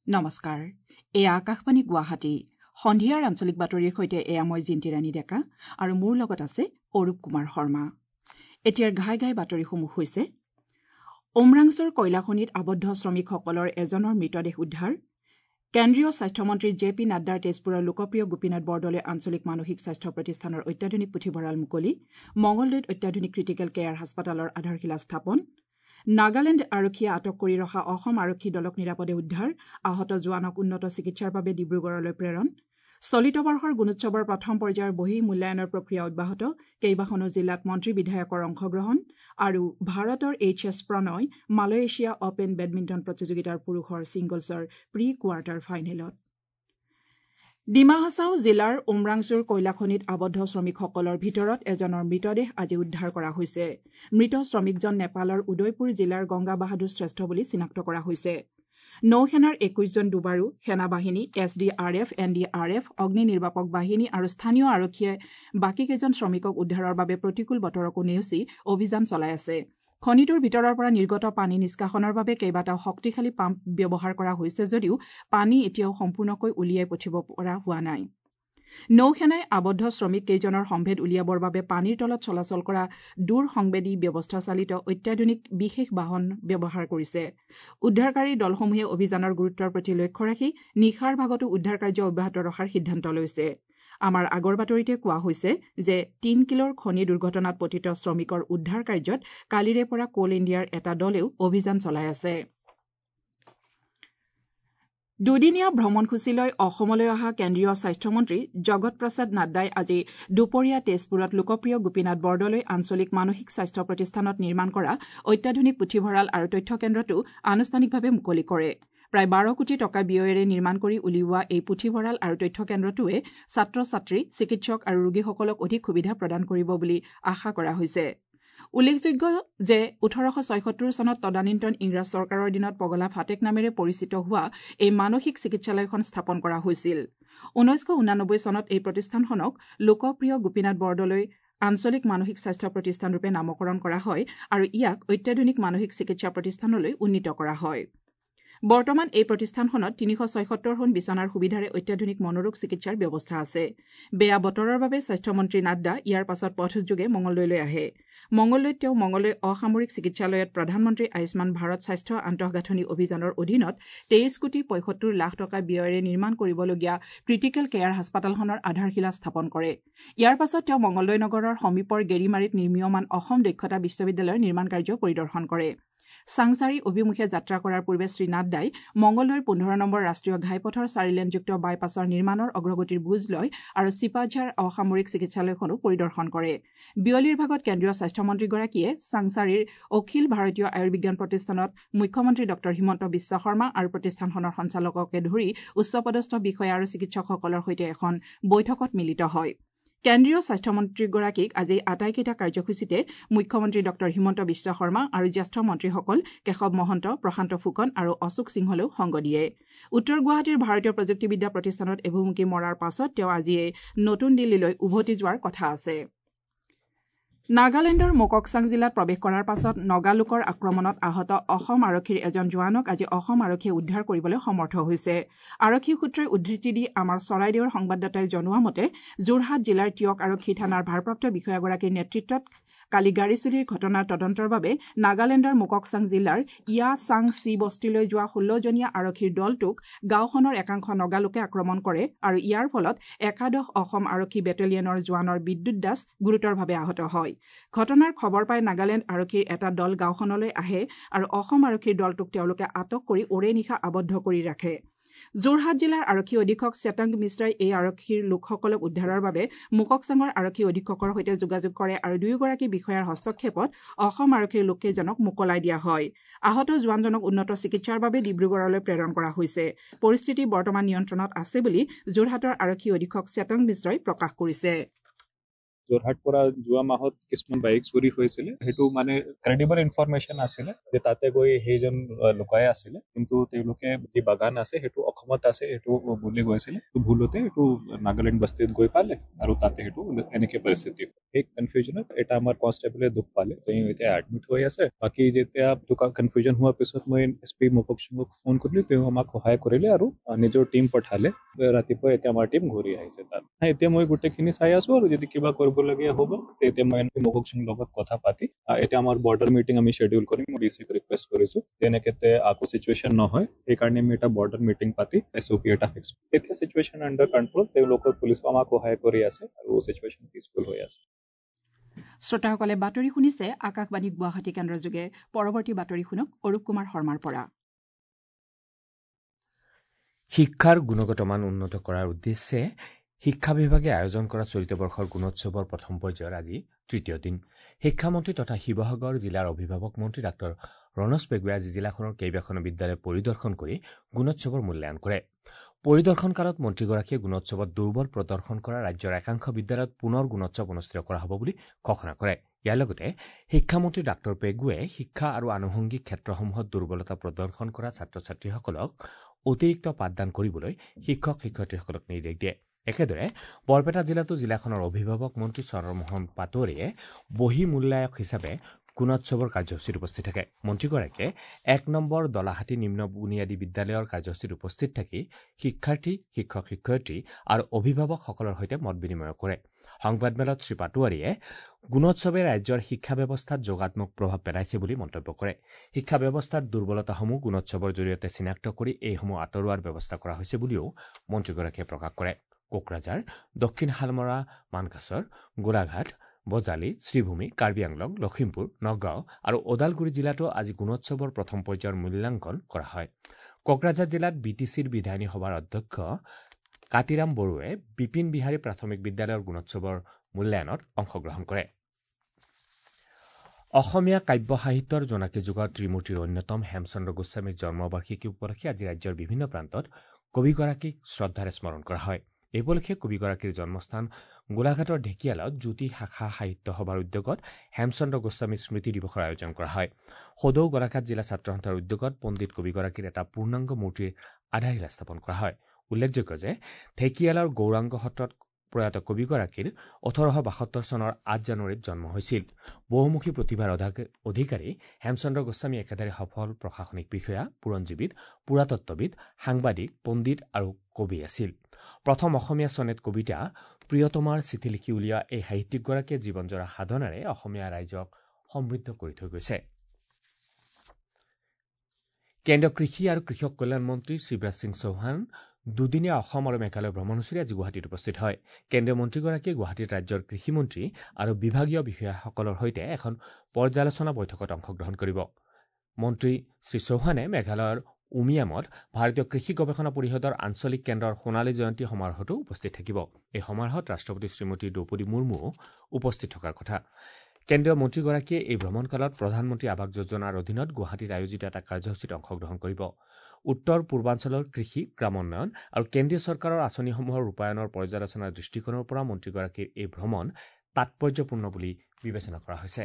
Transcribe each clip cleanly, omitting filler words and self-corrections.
নমস্কাৰ, এয়া আকাশবাণী গুৱাহাটী। সন্ধিয়াৰ আঞ্চলিক বাতৰিৰ সৈতে এয়া মই জিন্তি ৰাণী ডেকা আৰু মোৰ লগত আছে অৰূপ কুমাৰ শৰ্মা। এতিয়াৰ ঘাই ঘাই বাতৰিসমূহ হৈছে: উমৰাংছুৰ কয়লাখনিত আবদ্ধ শ্ৰমিকসকলৰ এজনৰ মৃতদেহ উদ্ধাৰ, কেন্দ্ৰীয় স্বাস্থ্যমন্ত্ৰী জে পি নাড্ডাৰ তেজপুৰৰ লোকপ্ৰিয় গোপীনাথ বৰদলৈ আঞ্চলিক মানসিক স্বাস্থ্য প্ৰতিষ্ঠানৰ অত্যাধুনিক পুথিভঁৰাল মুকলি, মঙলদৈত অত্যাধুনিক ক্ৰিটিকেল কেয়াৰ হাস্পতালৰ আধাৰশিলা স্থাপন, নাগালেণ্ড আৰক্ষীয়ে আটক কৰি ৰখা অসম আৰক্ষী দলক নিৰাপদে উদ্ধাৰ, আহত জোৱানক উন্নত চিকিৎসাৰ বাবে ডিব্ৰুগড়লৈ প্ৰেৰণ, চলিত বৰ্ষৰ গুণোৎসৱৰ প্ৰথম পৰ্যায়ৰ বহিঃ মূল্যায়নৰ প্ৰক্ৰিয়া অব্যাহত, কেইবাখনো জিলাত মন্ত্ৰী বিধায়কৰ অংশগ্ৰহণ আৰু ভাৰতৰ H S Prannoy Malaysia open badminton প্ৰতিযোগিতাৰ পুৰুষৰ ছিংগলছৰ প্ৰি কোৱাৰ্টাৰ ফাইনেলত। ডিমা হাছাও জিলাৰ উমৰাংছুৰ কয়লাখনিত আবদ্ধ শ্ৰমিকসকলৰ ভিতৰত এজনৰ মৃতদেহ আজি উদ্ধাৰ কৰা হৈছে। মৃত শ্ৰমিকজন নেপালৰ উদয়পুৰ জিলাৰ গংগা বাহাদুৰ শ্ৰেষ্ঠ বুলি চিনাক্ত কৰা হৈছে। নৌসেনাৰ ২১জন ডুবাৰু, সেনাবাহিনী, S D R F, N D R F, অগ্নি নিৰ্বাপক বাহিনী আৰু স্থানীয় আৰক্ষীয়ে বাকীকেইজন শ্ৰমিকক উদ্ধাৰৰ বাবে প্ৰতিকূল বতৰকো নেওচি অভিযান চলাই আছে। খনিটোৰ ভিতৰৰ পৰা নিৰ্গত পানী নিষ্কাশনৰ বাবে কেইবাটাও শক্তিশালী পাম্প ব্যৱহাৰ কৰা হৈছে যদিও পানী এতিয়াও সম্পূৰ্ণকৈ উলিয়াই পঠিয়াব পৰা হোৱা নাই। নৌসেনাই আবদ্ধ শ্ৰমিক কেইজনৰ সম্ভেদ উলিয়াবৰ বাবে পানীৰ তলত চলাচল কৰা দূৰ সংবেদী ব্যৱস্থাচালিত অত্যাধুনিক বিশেষ বাহন ব্যৱহাৰ কৰিছে। উদ্ধাৰকাৰী দলসমূহে অভিযানৰ গুৰুত্বৰ প্ৰতি লক্ষ্য ৰাখি নিশাৰ ভাগতো উদ্ধাৰ কাৰ্য অব্যাহত ৰখাৰ সিদ্ধান্ত লৈছে। আমাৰ আগৰ বাতৰিতে কোৱা হৈছে যে তিনকিলৰ খনি দুৰ্ঘটনাত পতিত শ্ৰমিকৰ উদ্ধাৰ কাৰ্যত কালিৰে পৰা কোল ইণ্ডিয়াৰ এটা দলেও অভিযান চলাই আছে। দুদিনীয়া ভ্ৰমণসূচীলৈ অসমলৈ অহা কেন্দ্ৰীয় স্বাস্থ্যমন্ত্ৰী জগত প্ৰসাদ নাড্ডাই আজি দুপৰীয়া তেজপুৰত লোকপ্ৰিয় গোপীনাথ বৰদলৈ আঞ্চলিক মানসিক স্বাস্থ্য প্ৰতিষ্ঠানত নিৰ্মাণ কৰা অত্যাধুনিক পুথিভঁৰাল আৰু তথ্য কেন্দ্ৰটো আনুষ্ঠানিকভাৱে মুকলি কৰে। প্ৰায় ১২ কোটি টকা ব্যয়েৰে নিৰ্মাণ কৰি উলিওৱা এই পুথিভঁৰাল আৰু তথ্য কেন্দ্ৰটোৱে ছাত্ৰ ছাত্ৰী, চিকিৎসক আৰু ৰোগীসকলক অধিক সুবিধা প্ৰদান কৰিব বুলি আশা কৰা হৈছে। উল্লেখযোগ্য যে ১৮৭৬ চনত তদানীন্তন ইংৰাজ চৰকাৰৰ দিনত পগলা ফাটেক নামেৰে পৰিচিত হোৱা এই মানসিক চিকিৎসালয়খন স্থাপন কৰা হৈছিল। ১৯৮৯ চনত এই প্ৰতিষ্ঠানখনক লোকপ্ৰিয় গোপীনাথ বৰদলৈ আঞ্চলিক মানসিক স্বাস্থ্য প্ৰতিষ্ঠানৰূপে নামকৰণ কৰা হয় আৰু ইয়াক অত্যাধুনিক মানসিক চিকিৎসা প্ৰতিষ্ঠানলৈ উন্নীত কৰা হয়। বৰ্তমান এই প্ৰতিষ্ঠানখনত ৩৭৬খন বিচনাৰ সুবিধাৰে অত্যাধুনিক মনোৰোগ চিকিৎসাৰ ব্যৱস্থা আছে। বেয়া বতৰৰ বাবে স্বাস্থ্যমন্ত্ৰী নাড্ডা ইয়াৰ পাছত পথযোগে মঙলদৈলৈ আহে। মঙলদৈত তেওঁ মঙলদৈ অসামৰিক চিকিৎসালয়ত প্ৰধানমন্ত্ৰী আয়ুষ্মান ভাৰত স্বাস্থ্য আন্তঃগাঁথনি অভিযানৰ অধীনত ২৩ কোটি ৭৫ লাখ টকা ব্যয়েৰে নিৰ্মাণ কৰিবলগীয়া ক্ৰিটিকেল কেয়াৰ হাস্পতালখনৰ আধাৰশিলা স্থাপন কৰে। ইয়াৰ পাছত তেওঁ মঙলদৈ নগৰৰ সমীপৰ গেৰিমাৰীত নিৰ্মীয়মান অসম দক্ষতা বিশ্ববিদ্যালয়ৰ নিৰ্মাণ কাৰ্য পৰিদৰ্শন কৰে। চাংচাৰী অভিমুখে যাত্ৰা কৰাৰ পূৰ্বে শ্ৰী নাড্ডাই মঙলদৈৰ ১৫ নম্বৰ ৰাষ্ট্ৰীয় ঘাইপথৰ চাৰিলেনযুক্ত বাইপাছৰ নিৰ্মাণৰ অগ্ৰগতিৰ বুজ লয় আৰু চিপাঝাৰ অসামৰিক চিকিৎসালয়খনো পৰিদৰ্শন কৰে। বিয়লিৰ ভাগত কেন্দ্ৰীয় স্বাস্থ্যমন্ত্ৰীগৰাকীয়ে চাংচাৰীৰ অখিল ভাৰতীয় আয়ুৰ্বিজ্ঞান প্ৰতিষ্ঠানত মুখ্যমন্ত্ৰী ডঃ হিমন্ত বিশ্ব শৰ্মা আৰু প্ৰতিষ্ঠানখনৰ সঞ্চালককে ধৰি উচ্চপদস্থ বিষয়া আৰু চিকিৎসকসকলৰ সৈতে এখন বৈঠকত মিলিত হয়। কেন্দ্ৰীয় স্বাস্থ্যমন্ত্ৰীগৰাকীক আজি আটাইকেইটা কাৰ্যসূচীতে মুখ্যমন্ত্ৰী ডঃ হিমন্ত বিশ্ব শৰ্মা আৰু জ্যেষ্ঠ মন্ত্ৰীসকল কেশৱ মহন্ত, প্ৰশান্ত ফুকন আৰু অশোক সিংহলেও সংগ দিয়ে। উত্তৰ গুৱাহাটীৰ ভাৰতীয় প্ৰযুক্তিবিদ্যা প্ৰতিষ্ঠানত এভুমুকি মৰাৰ পাছত তেওঁ আজিয়েই নতুন দিল্লীলৈ উভতি যোৱাৰ কথা আছে। নাগালেণ্ডৰ মোককচাং জিলাত প্ৰৱেশ কৰাৰ পাছত নগালোকৰ আক্ৰমণত আহত অসম আৰক্ষীৰ এজন জোৱানক আজি অসম আৰক্ষীয়ে উদ্ধাৰ কৰিবলৈ সমৰ্থ হৈছে। আৰক্ষী সূত্ৰই উদ্ধৃতি দি আমাৰ চৰাইদেউৰ সংবাদদাতাই জনোৱা মতে যোৰহাট জিলাৰ টীয়ক আৰক্ষী থানাৰ ভাৰপ্ৰাপ্ত বিষয়াগৰাকীৰ নেতৃত্বত কালি গাড়ী চুৰিৰ ঘটনাৰ তদন্তৰ বাবে নাগালেণ্ডৰ মোককচাং জিলাৰ ইয়া চাং চি বস্তিলৈ যোৱা ১৬জনীয়া আৰক্ষীৰ দলটোক গাঁওখনৰ একাংশ নগালোকে আক্ৰমণ কৰে আৰু ইয়াৰ ফলত একাদশ অসম আৰক্ষী বেটেলিয়নৰ জোৱানৰ বিদ্যুৎ দাস গুৰুতৰভাৱে আহত হয়। ঘটনাৰ খবৰ পাই নাগালেণ্ড আৰক্ষীৰ এটা দল গাঁওখনলৈ আহে আৰু অসম আৰক্ষীৰ দলটোক তেওঁলোকে আটক কৰি ওৰে নিশা আবদ্ধ কৰি ৰাখে। যোৰহাট জিলাৰ আৰক্ষী অধীক্ষক শ্বেতাংগ মিশ্ৰাই এই আৰক্ষীৰ লোকসকলক উদ্ধাৰৰ বাবে মোককচাঙৰ আৰক্ষী অধীক্ষকৰ সৈতে যোগাযোগ কৰে আৰু দুয়োগৰাকী বিষয়াৰ হস্তক্ষেপত অসম আৰক্ষীৰ লোককেইজনক মোকলাই দিয়া হয়। আহত জোৱানজনক উন্নত চিকিৎসাৰ বাবে ডিব্ৰুগড়লৈ প্ৰেৰণ কৰা হৈছে। পৰিস্থিতি বৰ্তমান নিয়ন্ত্ৰণত আছে বুলি যোৰহাটৰ আৰক্ষী অধীক্ষক শ্বেতাংগ মিশ্ৰই প্ৰকাশ কৰিছে। যোৰহাট পৰা যোৱা মাহত কিছুমান বাইক চুৰি হৈছিলে। সেইটো মানে ক্ৰেডিবল ইনফৰমেশ্যন আছিলে যে তাতে গৈ সেইজন লুকাই আছিলে, কিন্তু তেওঁলোকে যি বাগান আছে সেইটো অসমত আছে সেইটো বুলি গৈছিলে। ভুলতে এইটো নাগালেণ্ড বস্তিত গৈ পালে আৰু তাতে সেইটো এনেকে পৰিস্থিতি। সেই কনফিউজনত এটা আমাৰ কনষ্টেবলে দুখ পালে, তেওঁ এতিয়া এডমিট হৈ আছে। বাকী যেতিয়া কনফিউজন হোৱাৰ পিছত মই এছ পি মককচুঙক ফোন কৰিলো, তেওঁ আমাক সহায় কৰিলে আৰু নিজৰ টীম পঠালে। ৰাতিপুৱা এতিয়া আমাৰ টীম ঘূৰি আহিছে তাত। এতিয়া মই গোটেইখিনি চাই আছো আৰু যদি কিবা কৰিবলগীয়া হ'ব তেতিয়া মই মককচুং লগত কথা পাতি এতিয়া আমাৰ বৰ্ডাৰ মিটিং আমি শ্বেডিউল কৰিম। মই ডি চিক ৰিকুৱেষ্ট কৰিছো যেনেকে আকৌ চিটুৱেশ্যন নহয়, সেইকাৰণে আমি এটা বৰ্ডাৰ মিটিং পাতি এছ অ' পি এটা ফিক্স। এতিয়া চিটুৱেশ্যন আণ্ডাৰ কণ্ট্ৰল, তেওঁলোকৰ পুলিচো আমাক সহায় কৰি আছে আৰু চিটুৱেশ্যন পিচফুল হৈ আছে। শ্ৰোতাসকলে বাতৰি শুনিছে আকাশবাণী গুৱাহাটী কেন্দ্ৰৰ যোগে। পৰৱৰ্তী বাতৰি শুনক অৰূপ কুমাৰ শৰ্মাৰ পৰা। শিক্ষাৰ গুণগত মান উন্নত কৰাৰ উদ্দেশ্যে শিক্ষা বিভাগে আয়োজন কৰা চলিত বৰ্ষৰ গুণোৎসৱৰ প্ৰথম পৰ্যায়ৰ আজি তৃতীয় দিন। শিক্ষামন্ত্ৰী তথা শিৱসাগৰ জিলাৰ অভিভাৱক মন্ত্ৰী ডাঃ ৰণোজ পেগুৱে আজি জিলাখনৰ কেইবাখনো বিদ্যালয় পৰিদৰ্শন কৰি গুণোৎসৱৰ মূল্যায়ন কৰে। পৰিদৰ্শনকালত মন্ত্ৰীগৰাকীয়ে গুণোৎসৱত দুৰ্বল প্ৰদৰ্শন কৰা ৰাজ্যৰ একাংশ বিদ্যালয়ত পুনৰ গুণোৎসৱ অনুষ্ঠিত কৰা হ'ব বুলি ঘোষণা কৰে। ইয়াৰ লগতে শিক্ষামন্ত্ৰী ডাঃ পেগুৱে শিক্ষা আৰু আনুষংগিক ক্ষেত্ৰসমূহত দুৰ্বলতা প্ৰদৰ্শন কৰা ছাত্ৰ ছাত্ৰীসকলক অতিৰিক্ত পাঠদান কৰিবলৈ শিক্ষক শিক্ষয়িত্ৰীসকলক নিৰ্দেশ দিয়ে। একেদৰে বৰপেটা জিলাতো জিলাখনৰ অভিভাৱক মন্ত্ৰী চন্দ্ৰমোহন পাটোৱাৰীয়ে বহি মূল্যায়ক হিচাপে গুণোৎসৱৰ কাৰ্যসূচীত উপস্থিত থাকে। মন্ত্ৰীগৰাকীয়ে ১ নম্বৰ দলাহাটী নিম্ন বুনিয়াদী বিদ্যালয়ৰ কাৰ্যসূচীত উপস্থিত থাকি শিক্ষাৰ্থী, শিক্ষক শিক্ষয়িত্ৰী আৰু অভিভাৱকসকলৰ সৈতে মত বিনিময় কৰে। সংবাদমেলত শ্ৰী পাটোৱাৰীয়ে গুণোৎসৱে ৰাজ্যৰ শিক্ষা ব্যৱস্থাত যোগাত্মক প্ৰভাৱ পেলাইছে বুলি মন্তব্য কৰে। শিক্ষা ব্যৱস্থাৰ দুৰ্বলতাসমূহ গুণোৎসৱৰ জৰিয়তে চিনাক্ত কৰি এইসমূহ আঁতৰোৱাৰ ব্যৱস্থা কৰা হৈছে বুলিও মন্ত্ৰীগৰাকীয়ে প্ৰকাশ কৰে। কোকৰাঝাৰ, দক্ষিণ শালমৰা, মানকাচৰ, গোলাঘাট, বজালী, শ্ৰীভূমি, কাৰ্বি আংলং, লখিমপুৰ, নগাঁও আৰু ওদালগুৰি জিলাতো আজি গুণোৎসৱৰ প্ৰথম পৰ্যায়ৰ মূল্যাংকন কৰা হয়। কোকৰাঝাৰ জিলাত বি টি চিৰ বিধায়িনী সভাৰ অধ্যক্ষ কাতিৰাম বড়োৱে বিপিন বিহাৰী প্ৰাথমিক বিদ্যালয়ৰ গুণোৎসৱৰ মূল্যায়নত অংশগ্ৰহণ কৰে। অসমীয়া কাব্য সাহিত্যৰ জোনাকী যুগৰ ত্ৰিমূৰ্তিৰ অন্যতম হেমচন্দ্ৰ গোস্বামীৰ জন্মবাৰ্ষিকী উপলক্ষে আজি ৰাজ্যৰ বিভিন্ন প্ৰান্তত কবিগৰাকীক শ্ৰদ্ধাৰে স্মৰণ কৰা হয়। এই উপলক্ষে কবিগৰাকীৰ জন্মস্থান গোলাঘাটৰ ঢেকিয়ালত জ্যোতি শাখা সাহিত্য সভাৰ উদ্যোগত হেমচন্দ্ৰ গোস্বামী স্মৃতি দিৱসৰ আয়োজন কৰা হয়। সদৌ গোলাঘাট জিলা ছাত্ৰ সন্থাৰ উদ্যোগত পণ্ডিত কবিগৰাকীৰ এটা পূৰ্ণাংগ মূৰ্তিৰ আধাৰশিলা স্থাপন কৰা হয়। উল্লেখযোগ্য যে ঢেকিয়ালৰ গৌৰাংগ সত্ৰত প্ৰয়াত কবিগৰাকীৰ ১৮৭২ চনৰ ৮ জানুৱাৰীত জন্ম হৈছিল। বহুমুখী প্ৰতিভাৰ অধিকাৰী হেমচন্দ্ৰ গোস্বামী একেধাৰে সফল প্ৰশাসনিক বিষয়া, বুৰঞ্জীবিদ, পুৰাতত্ত্ববিদ, সাংবাদিক, পণ্ডিত আৰু কবি আছিল। প্ৰথম অসমীয়া চনেট কবিতা প্ৰিয়তমাৰ চিঠি লিখি উলিওৱা এই সাহিত্যিকগৰাকীয়ে জীৱনজোৰা সাধনাৰে অসমীয়া ৰাইজক সমৃদ্ধ কৰি থৈ গৈছে। কেন্দ্ৰীয় কৃষি আৰু কৃষক কল্যাণ মন্ত্ৰী শিৱৰাজ সিং চৌহান দুদিনীয়া অসম আৰু মেঘালয় ভ্ৰমণসূচীৰে আজি গুৱাহাটীত উপস্থিত হয়। কেন্দ্ৰীয় মন্ত্ৰীগৰাকীয়ে গুৱাহাটীত ৰাজ্যৰ কৃষিমন্ত্ৰী আৰু বিভাগীয় বিষয়াসকলৰ সৈতে এখন পৰ্যালোচনা বৈঠকত অংশগ্ৰহণ কৰিব। মন্ত্ৰী শ্ৰী চৌহানে মেঘালয়ৰ উমিয়ামত ভাৰতীয় কৃষি গৱেষণা পৰিষদৰ আঞ্চলিক কেন্দ্ৰৰ সোণালী জয়ন্তী সমাৰোহতো উপস্থিত থাকিব। এই সমাৰোহত ৰাষ্ট্ৰপতি শ্ৰীমতী দ্ৰৌপদী মুৰ্মুও উপস্থিত থকাৰ কথা। কেন্দ্ৰীয় মন্ত্ৰীগৰাকীয়ে এই ভ্ৰমণকালত প্ৰধানমন্ত্ৰী আৱাস যোজনাৰ অধীনত গুৱাহাটীত আয়োজিত এটা কাৰ্যসূচীত অংশগ্ৰহণ কৰিব। উত্তৰ পূৰ্বাঞ্চলৰ কৃষি, গ্ৰামোন্নয়ন আৰু কেন্দ্ৰীয় চৰকাৰৰ আঁচনিসমূহৰ ৰূপায়ণৰ পৰ্যালোচনাৰ দৃষ্টিকোণৰ পৰা মন্ত্ৰীগৰাকীৰ এই ভ্ৰমণ তাৎপৰ্যপূৰ্ণ বুলি বিবেচনা কৰা হৈছে।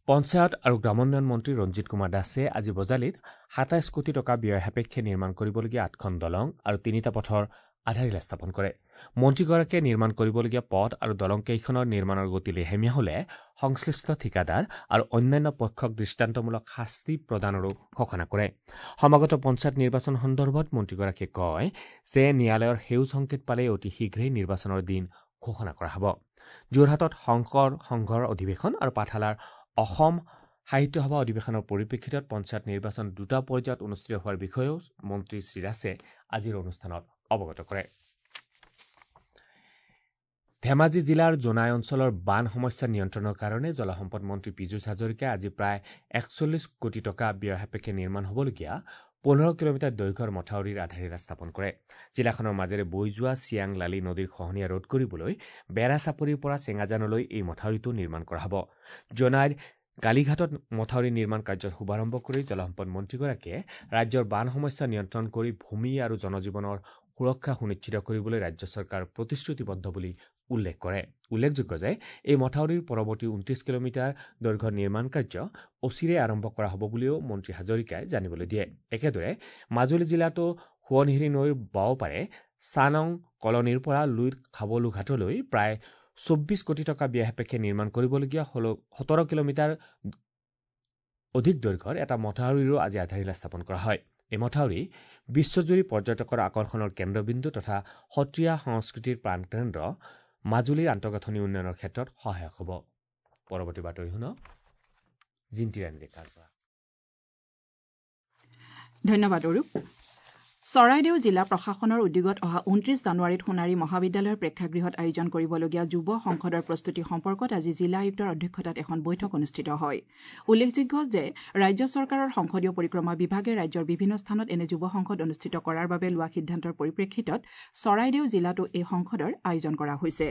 পঞ্চায়ত আৰু গ্ৰামোন্নয়ন মন্ত্ৰী ৰঞ্জিত কুমাৰ দাসে আজি বজালীত ২৭ কোটি টকা ব্যয় সাপেক্ষে নিৰ্মাণ কৰিবলগীয়া ৮খন দলং আৰু ৩টা পথৰ আধাৰশিলা স্থাপন কৰে। মন্ত্ৰীগৰাকীয়ে নিৰ্মাণ কৰিবলগীয়া পথ আৰু দলংকেইখনৰ নিৰ্মাণৰ গতি লেহেমীয়া হলে সংশ্লিষ্ট ঠিকাদাৰ আৰু অন্যান্য পক্ষক দৃষ্টান্তমূলক শাস্তি প্ৰদানৰো ঘোষণা কৰে। সমাগত পঞ্চায়ত নিৰ্বাচন সন্দৰ্ভত মন্ত্ৰীগৰাকীয়ে কয় যে ন্যায়ালয়ৰ সেউজ সংকেত পালেই অতি শীঘ্ৰেই নিৰ্বাচনৰ দিন ঘোষণা কৰা হ'ব। যোৰহাটত শংকৰ সংঘৰ অধিৱেশন আৰু পাঠশালাৰ অসম সাহিত্য সভা অধিৱেশনৰ পৰিপ্ৰেক্ষিতত পঞ্চায়ত নিৰ্বাচন দুটা পৰ্যায়ত অনুষ্ঠিত হোৱাৰ বিষয়েও মন্ত্ৰী শ্ৰী দাসে আজিৰ অনুষ্ঠানত অৱগত কৰে। ধেমাজি জিলাৰ জোনাই অঞ্চলৰ বান সমস্যা নিয়ন্ত্ৰণৰ কাৰণে জলসম্পদ মন্ত্ৰী পীযুষ হাজৰিকাই আজি প্ৰায় ৪১ কোটি টকা ব্যয় সাপেক্ষে নিৰ্মাণ হ'বলগীয়া ১৫ কিলোমিটাৰ দৈৰ্ঘ্যৰ মথাউৰিৰ আধাৰশিলা স্থাপন কৰে। জিলাখনৰ মাজেৰে বৈ যোৱা চিয়াং লালী নদীৰ খহনীয়া ৰোধ কৰিবলৈ বেৰা চাপৰিৰ পৰা চেঙাজানলৈ এই মথাউৰিটো নিৰ্মাণ কৰা হ'ব। জোনাইৰ গালিঘাটত মথাউৰি নিৰ্মাণ কাৰ্যৰ শুভাৰম্ভ কৰি জলসম্পদ মন্ত্ৰীগৰাকীয়ে ৰাজ্যৰ বান সমস্যা নিয়ন্ত্ৰণ কৰি ভূমি আৰু জনজীৱনৰ সুৰক্ষা সুনিশ্চিত কৰিবলৈ ৰাজ্য চৰকাৰ প্ৰতিশ্ৰুতিবদ্ধ বুলি উল্লেখ কৰে। উল্লেখযোগ্য যে এই মথাউৰিৰ পৰৱৰ্তী 29 কিলোমিটাৰ দৈৰ্ঘ্যৰ নিৰ্মাণ কাৰ্য অচিৰে আৰম্ভ কৰা হ'ব বুলিও মন্ত্ৰী হাজৰিকাই জানিবলৈ দিয়ে। একেদৰে মাজুলী জিলাতো সোৱণশিৰি নৈৰ বাওঁপাৰে চানং কলনীৰ পৰা লুইত খাবলুঘাটলৈ প্ৰায় 24 কোটি টকা ব্যয় সাপেক্ষে নিৰ্মাণ কৰিবলগীয়া 17 কিলোমিটাৰ অধিক দৈৰ্ঘ্যৰ এটা মথাউৰিৰো আজি আধাৰশিলা স্থাপন কৰা হয়। এই মথাউৰি বিশ্বজুৰি পৰ্যটকৰ আকৰ্ষণৰ কেন্দ্ৰবিন্দু তথা সত্ৰীয়া সংস্কৃতিৰ প্ৰাণকেন্দ্ৰ মাজুলীৰ আন্তঃগাঁথনি উন্নয়নৰ ক্ষেত্ৰত সহায়ক হ'ব। পৰৱৰ্তী বাতৰি শুনক জিন্তি ৰাণী ডেকাৰ পৰা। ধন্যবাদ অৰূপ। চৰাইদেউ জিলা প্ৰশাসনৰ উদ্যোগত অহা 29 জানুৱাৰীত সোণাৰী মহাবিদ্যালয়ৰ প্ৰেক্ষাগৃহত আয়োজন কৰিবলগীয়া যুৱ সংসদৰ প্ৰস্তুতি সম্পৰ্কত আজি জিলা আয়ুক্তৰ অধ্যক্ষতাত এখন বৈঠক অনুষ্ঠিত হয়। উল্লেখযোগ্য যে ৰাজ্য চৰকাৰৰ সংসদীয় পৰিক্ৰমা বিভাগে ৰাজ্যৰ বিভিন্ন স্থানত এনে যুৱ সংসদ অনুষ্ঠিত কৰাৰ বাবে লোৱা সিদ্ধান্তৰ পৰিপ্ৰেক্ষিতত চৰাইদেউ জিলাতো এই সংসদৰ আয়োজন কৰা হৈছে।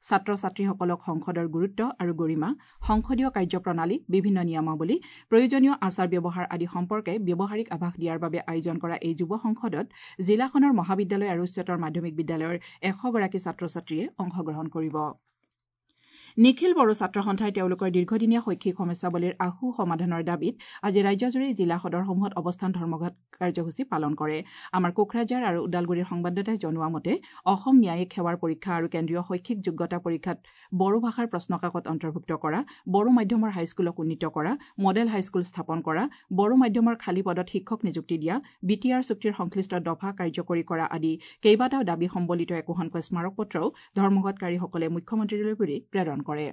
ছাত্ৰ ছাত্ৰীসকলক সংসদৰ গুৰুত্ব আৰু গৰিমা, সংসদীয় কাৰ্যপ্ৰণালী, বিভিন্ন নিয়মাৱলী, প্ৰয়োজনীয় আচাৰ ব্যৱহাৰ আদি সম্পৰ্কে ব্যৱহাৰিক আভাস দিয়াৰ বাবে আয়োজন কৰা এই যুৱ সংসদত জিলাখনৰ মহাবিদ্যালয় আৰু উচ্চতৰ মাধ্যমিক বিদ্যালয়ৰ 100গৰাকী ছাত্ৰ ছাত্ৰীয়ে অংশগ্ৰহণ কৰিব। নিখিল বড়ো ছাত্ৰ সন্থাই তেওঁলোকৰ দীৰ্ঘদিনীয়া শৈক্ষিক সমস্যাৱলীৰ আশু সমাধানৰ দাবীত আজি ৰাজ্যজুৰি জিলা সদৰসমূহত অৱস্থান ধৰ্মঘট কাৰ্যসূচী পালন কৰে। আমাৰ কোকৰাঝাৰ আৰু ওদালগুৰিৰ সংবাদদাতাই জনোৱা মতে অসম ন্যায়িক সেৱাৰ পৰীক্ষা আৰু কেন্দ্ৰীয় শৈক্ষিক যোগ্যতা পৰীক্ষাত বড়ো ভাষাৰ প্ৰশ্নকাকত অন্তৰ্ভুক্ত কৰা, বড়ো মাধ্যমৰ হাইস্কুলক উন্নীত কৰা, মডেল হাইস্কুল স্থাপন কৰা, বড়ো মাধ্যমৰ খালী পদত শিক্ষক নিযুক্তি দিয়া, বি টি আৰ চুক্তিৰ সংশ্লিষ্ট দফা কাৰ্যকৰী কৰা আদি কেইবাটাও দাবী সম্বলিত একোখনকৈ স্মাৰকপত্ৰও ধৰ্মঘটকাৰীসকলে মুখ্যমন্ত্ৰীলৈ বুলি প্ৰেৰণ কৰে।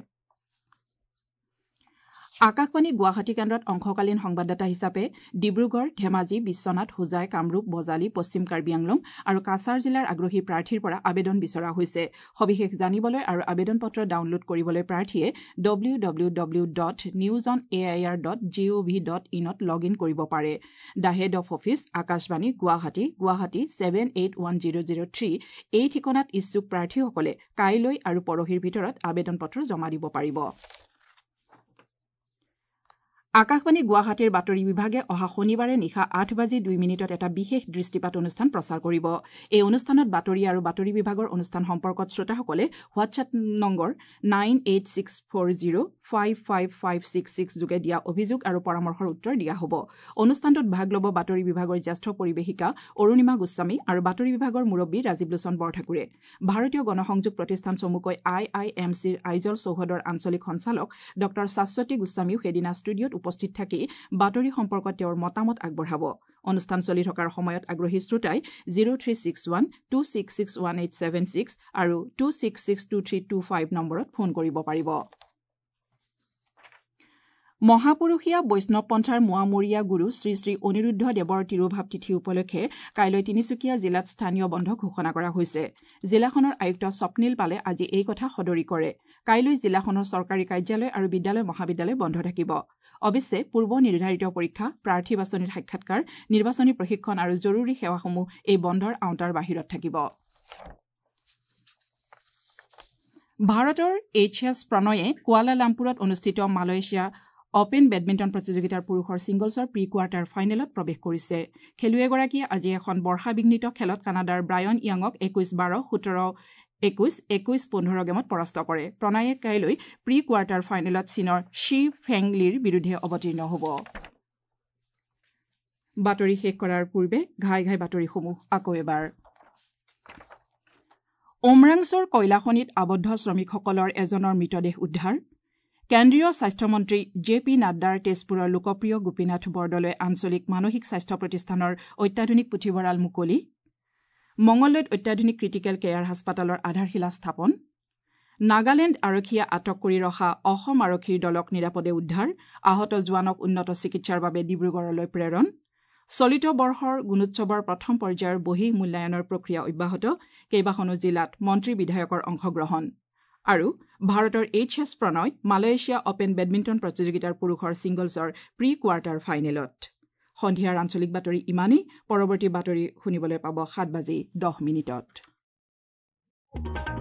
আকাশবাণী গুৱাহাটী কেন্দ্ৰত অংশকালীন সংবাদদাতা হিচাপে ডিব্ৰুগড়, ধেমাজি, বিশ্বনাথ, হোজাই, কামৰূপ, বজালী, পশ্চিম কাৰ্বি আংলং আৰু কাছাৰ জিলাৰ আগ্ৰহী প্ৰাৰ্থীৰ পৰা আবেদন বিচৰা হৈছে। সবিশেষ জানিবলৈ আৰু আবেদন পত্ৰ ডাউনলোড কৰিবলৈ প্ৰাৰ্থীয়ে www.newsonair.gov.in log in কৰিব পাৰে। The head of office, Akashvani, Guwahati, Guwahati 781003 এই ঠিকনাত ইচ্ছুক প্ৰাৰ্থীসকলে কাইলৈ আৰু পৰহিৰ ভিতৰত আবেদন পত্ৰ জমা দিব পাৰিব। আকাশবাণী গুৱাহাটীৰ বাতৰি বিভাগে অহা শনিবাৰে নিশা 8:02 এটা বিশেষ দৃষ্টিপাত অনুষ্ঠান প্ৰচাৰ কৰিব। এই অনুষ্ঠানত বাতৰি আৰু বাতৰি বিভাগৰ অনুষ্ঠান সম্পৰ্কত শ্ৰোতাসকলে হোৱাটছএপ নম্বৰ 9864055566 যোগে দিয়া অভিযোগ আৰু পৰামৰ্শৰ উত্তৰ দিয়া হ'ব। অনুষ্ঠানটোত ভাগ ল'ব বাতৰি বিভাগৰ জ্যেষ্ঠ পৰিৱেশিকা অৰুণিমা গোস্বামী আৰু বাতৰি বিভাগৰ মুৰব্বী ৰাজীৱ লোচন বৰঠাকুৰে। ভাৰতীয় গণসংযোগ প্ৰতিষ্ঠান চমুকৈ আই I am চিৰ আইজল চৌহদৰ আঞ্চলিক সঞ্চালক ডঃ শাশ্বতী গোস্বামীও সেইদিনা ষ্টুডিঅ'ত উপস্থিত থাকি বাতৰি সম্পৰ্কত তেওঁৰ মতামত আগবঢ়াব। অনুষ্ঠান চলি থকাৰ সময়ত আগ্ৰহী শ্ৰোতাই 0361 2661876 আৰু 2662325 নম্বৰত ফোন কৰিব পাৰিব। মহাপুৰুষীয়া বৈষ্ণৱ পন্থাৰ মোৱামৰীয়া গুৰু শ্ৰী শ্ৰী অনিৰুদ্ধ দেৱৰ তিৰোভাৱ তিথি উপলক্ষে কাইলৈ তিনিচুকীয়া জিলাত স্থানীয় বন্ধ ঘোষণা কৰা হৈছে। জিলাখনৰ আয়ুক্ত স্বপ্নীল পালে আজি এই কথা সদৰি কৰে। কাইলৈ জিলাখনৰ চৰকাৰী কাৰ্যালয় আৰু বিদ্যালয় মহাবিদ্যালয় বন্ধ থাকিব। অৱশ্যে পূৰ্ব নিৰ্ধাৰিত পৰীক্ষা, প্ৰাৰ্থী বাছনিৰ সাক্ষাৎকাৰ, নিৰ্বাচনী প্ৰশিক্ষণ আৰু জৰুৰী সেৱাসমূহ এই বন্ধৰ আওতাৰ বাহিৰত থাকিব। ভাৰতৰ এইচ এছ প্ৰণয়ে কুৱালালামপুৰত অনুষ্ঠিত মালয়েছিয়া অপেন বেডমিণ্টন প্ৰতিযোগিতাৰ পুৰুষৰ ছিংগলছৰ প্ৰি কোৱাৰ্টাৰ ফাইনেলত প্ৰৱেশ কৰিছে। খেলুৱৈগৰাকীয়ে আজি এখন বৰ্ষাবিঘ্নিত খেলত কানাডাৰ ব্ৰায়ন য়াঙক 21-12, 17-21, 21-15 গেমত পৰাস্ত কৰে। প্ৰণয়ে কাইলৈ প্ৰি কোৱাৰ্টাৰ ফাইনেলত চীনৰ শ্বি ফেং লিৰ বিৰুদ্ধে অৱতীৰ্ণ হ'ব। বাতৰি শেষ কৰাৰ পূৰ্বে ঘাই ঘাই বাতৰিসমূহ আকৌ এবাৰ। উমৰাংছ'ৰ কয়লাখনিত আবদ্ধ শ্ৰমিকসকলৰ এজনৰ মৃতদেহ উদ্ধাৰ। কেন্দ্ৰীয় স্বাস্থ্যমন্ত্ৰী জে পি নাড্ডাৰ তেজপুৰৰ লোকপ্ৰিয় গোপীনাথ বৰদলৈ আঞ্চলিক মানসিক স্বাস্থ্য প্ৰতিষ্ঠানৰ অত্যাধুনিক পুথিভঁৰাল মুকলি। মঙলদৈত অত্যাধুনিক ক্ৰিটিকেল কেয়াৰ হাস্পতালৰ আধাৰশিলা স্থাপন। নাগালেণ্ড আৰক্ষীয়ে আটক কৰি ৰখা অসম আৰক্ষীৰ দলক নিৰাপদে উদ্ধাৰ। আহত জোৱানক উন্নত চিকিৎসাৰ বাবে ডিব্ৰুগড়লৈ প্ৰেৰণ। চলিত বৰ্ষৰ গুণোৎসৱৰ প্ৰথম পৰ্যায়ৰ বহিঃ মূল্যায়নৰ প্ৰক্ৰিয়া অব্যাহত। কেইবাখনো জিলাত মন্ত্ৰী বিধায়কৰ অংশগ্ৰহণ। আৰু ভাৰতৰ H S Prannoy Malaysia open badminton প্ৰতিযোগিতাৰ পুৰুষৰ ছিংগলছৰ প্ৰি কোৱাৰ্টাৰ ফাইনেলত। সন্ধিয়াৰ আঞ্চলিক বাতৰি ইমানেই। পৰৱৰ্তী বাতৰি শুনিবলৈ পাব 7:10।